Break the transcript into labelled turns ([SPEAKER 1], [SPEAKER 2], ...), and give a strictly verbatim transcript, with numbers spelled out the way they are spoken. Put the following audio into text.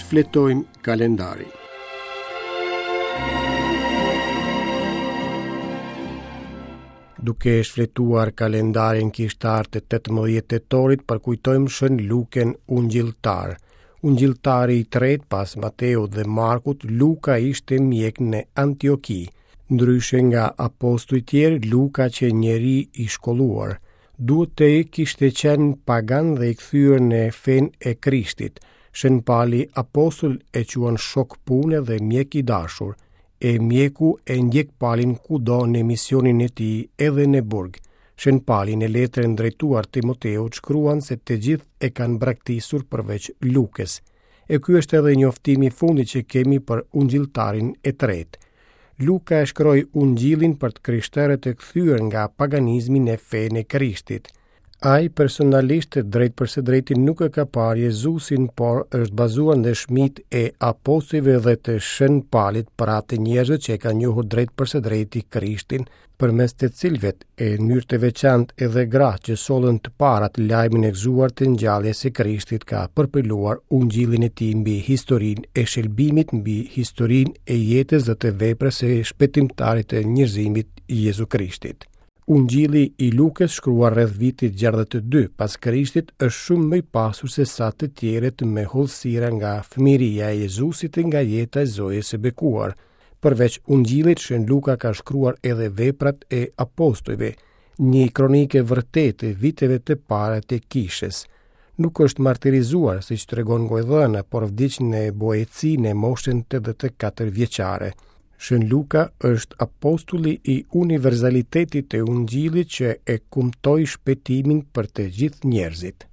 [SPEAKER 1] Shfletojmë kalendarin. Duke shfletuar kalendarin kishtar të tetëmbëdhjetë tetorit, përkujtojmë Shën Lukën Ungjilltar. Ungjilltari i tretë pas Mateut dhe Markut, Luka ishte mjek në Antioki. Ndryshe nga apostujt tjerë, Luka qe njeri i shkolluar. Duhet të kishte qenë pagan dhe i kthyer në fenë e Krishtit. Shën Pali apostull e quan shok pune dhe mjek i dashur. E mjeku e ndjek Palin kudo në misionin e tij, edhe në burg. Shën Pali në letrën drejtuar Timoteut shkruan se të gjithë e kanë braktisur përveç Lukës. E ky është edhe njoftimi i fundit që kemi për ungjilltarin e tretë. Luka e shkroi ungjillin për të krishterët e kthyer nga paganizmi në fenë e Krishtit. Ai personalisht drejt për së drejti nuk e ka parë Jezusin, por është bazuar në dëshmitë e apostujve dhe të Shën Palit, pra të njerëzve që e kanë njohur drejt për së drejti Krishtin, përmes të cilëve e në mënyrë të veçantë edhe gra që sollën të parat lajmin e gëzuar të ngjalljes së Krishtit, ka përpiluar ungjillin e tij mbi historinë e shëlbimit, mbi historinë e jetës dhe të veprës së shpëtimtarit të njerëzimit Jezu Krishtit. Ungjilli i Lukës, shkruar rreth vitit gjashtëdhjetë e dy pas Krishtit, është shumë më i pasur se sa të tjerët me hollësira nga fëmijëria e Jezusit e nga jeta e Zojës së Bekuar. Përveç Ungjillit, Shën Luka ka shkruar edhe veprat e apostujve, një kronikë e vërtetë e viteve të para të kishës. Nuk është martirizuar, siç tregon gojëdhëna, por vdiq në Boeci në moshën tetëdhjetë e katër vjeçare. Shën Luka është apostulli i universalitetit të Ungjillit që e kumtoi shpëtimin për të gjithë njerëzit.